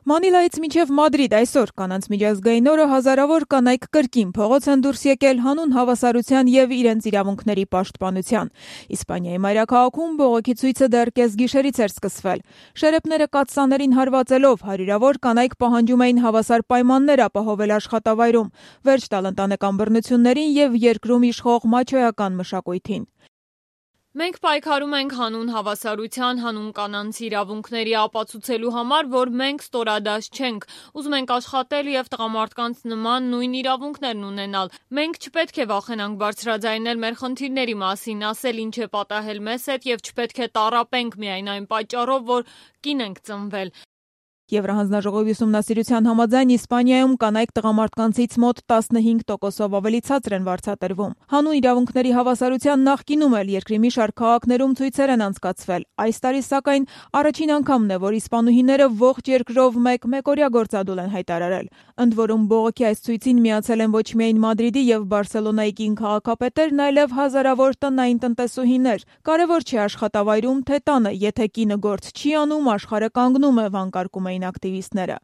Մանիլայից մինչև Մադրիդ այսօր կանանց միջազգային օրը հազարավոր կանայք կրկին փողոց են դուրս եկել հանուն հավասարության եւ իրենց իրավունքների պաշտպանության։ Իսպանիայի մայրաքաղաքում բողոքի ցույցը դեռ կեսգիշերից էր սկսվել։ Շերեփները կաթսաներին հարվածելով հարյուրավոր կանայք պահանջում էին հավասար պայմաններ ապահովել աշխատավայրում, վերջ տալ ընտանեկան բռնություններին եւ երկրում իշխող մաչոյական մշակույթին։ Մենք պայքարում ենք հանուն հավասարության, հանուն կանանց իրավունքների ապացուցելու համար, որ մենք ստորադաս չենք, ուզում ենք աշխատել եւ տղամարդկանց նման նույն իրավունքներն ունենալ։ Մենք չպետք է վախենանք բարձրաձայնել մեր խնդիրների մասին, ասել ինչ է պատահել մեզ հետ եւ չպետք է տառապենք միայն այն պատճառով, որ կին ենք ծնվել։ Եվրահանձնաժողովի ուսումնասիրության համաձայն Իսպանիայում կանայք տղամարդկանցից մոտ 15%-ով ավելի ցածր են վարձատրվում։ Հանուն իրավունքների հավասարության նախկինում էլ երկրի մի շարք քաղաքներում ցույցեր են անցկացվել։ Այս տարի սակայն առաջին անգամն է, որ իսպանուհիները ողջ երկրով մեկօրյա գործադուլ են հայտարարել։ Ընդ որում բողոքի այս ցույցին միացել են ոչ միայն Մադրիդի եւ Բարսելոնայի կին քաղաքապետերն, այլև հազարավոր տնային տնտեսուհիներ։ Կարևոր չէ աշխատավայրում, թե տանը, եթե կինը գործ չի անում, աշխարհը կանգնում է, վանկարկում էին ակտիվիստները։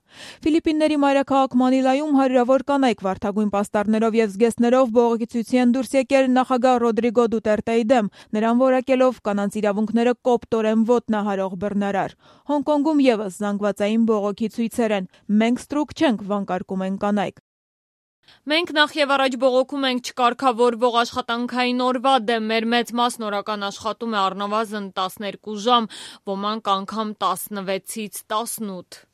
Ֆիլիպինների մայրաքաղաք Մանիլայում հարյուրավոր կանայք վարդագույն պաստառներով եւ զգեստներով բողոքի ցույցի են դուրս եկել նախագահ Ռոդրիգո Դուտերտեի դեմ, նրան որակելով կանանց իրավունքները կոպտորեն ոտնահարող բռնարար։ Հոնկոնգում եւս զանգվածային բողոքի ցույցեր են։ Մենք ստրուկ չենք, վանկարկում են կանայք։ Մենք նախ եւ առաջ բողոքում ենք չկարգավորվող աշխատանքային օրվա դեմ, մեր մեծ մասն օրական աշխատում է առնվազն 12 ժամ, ոմանք անգամ 16-ից 18։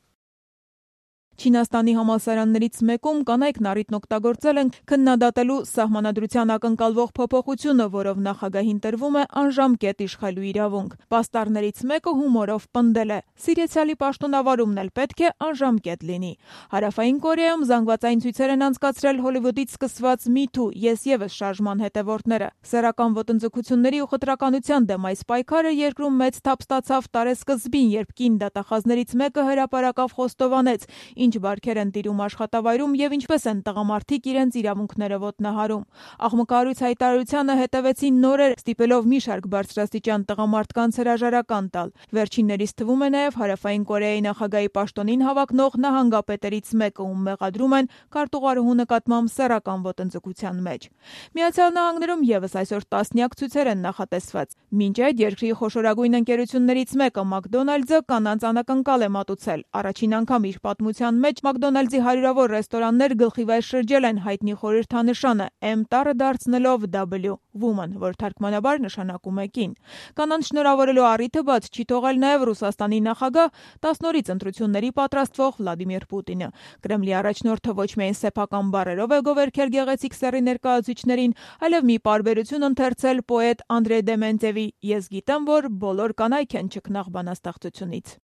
Չինաստանի համալսարաններից մեկում կանայքն առիթն օգտագործել են քննադատելու սահմանադրության ակնկալվող փոփոխությունը, որով նախագահին տրվում է անժամկետ իշխելու իրավունք։ Պաստառներից մեկը հումորով պնդել է. «Սիրեցյալի պաշտոնավարումն էլ պետք է անժամկետ լինի»։ Հարավային Կորեայում զանգվածային ցույցեր են անցկացրել Հոլիվուդից սկսված Me Too, ես եւս շարժման հետևորդները։ Սեռական ոտնձգությունների ու խտրականության դեմ այս պայքարը երկրում մեծ թափ ստացավ տարեսկզբին, երբ կին դատախազներից մեկը հրապարակավ խոստովանեց, ինչ բարքեր են տիրում աշխատավայրում եւ ինչպես են տղամարդիկ իրենց իրավունքները ոտնահարում։ Աղմկահարույց հայտարարությանը հետևեցին նորեր, ստիպելով մի շարք բարձրաստիճան տղամարդկանց հրաժարական տալ։ Վերջիններից թվում է նաեւ Հարավային Կորեայի նախագահի պաշտոնին հավակնող նահանգապետերից մեկը, ում մեղադրում են քարտուղարուհու նկատմամբ սեռական ոտնձգության մեջ։ Միացյալ Նահանգներում եւս այսօր տասնյակ ցույցեր են նախատեսված։ Մինչ այդ երկրի խոշորագույն ընկերություններից մեկը McDonald's-ը կանանց անակնկալ է մատուցել։ Առաջին անգամ իր պատմության մեջ McDonald's-ի հարյուրավոր ռեստորաններ գլխիվայր շրջել են հայտնի խորհրդանշանը M տառը դարձնելով W woman, որ թարգմանաբար նշանակում է կին։ Կանանց շնորհավորելու առիթը բաց չի թողել նաև Ռուսաստանի նախագահ 10 նորից ընտրությունների պատրաստվող Վլադիմիր Պուտինը։ Կրեմլի առաջնորդը ոչ միայն սեփական բառերով է գովերքել գեղեցիկ սեռի ներկայացուցիչներին, այլև մի պարբերություն ընթերցել պոետ Անդրեյ Դեմենտևի «Ես գիտեմ, որ բոլոր կանայք են չքնաղ բանաստեղծությունից»։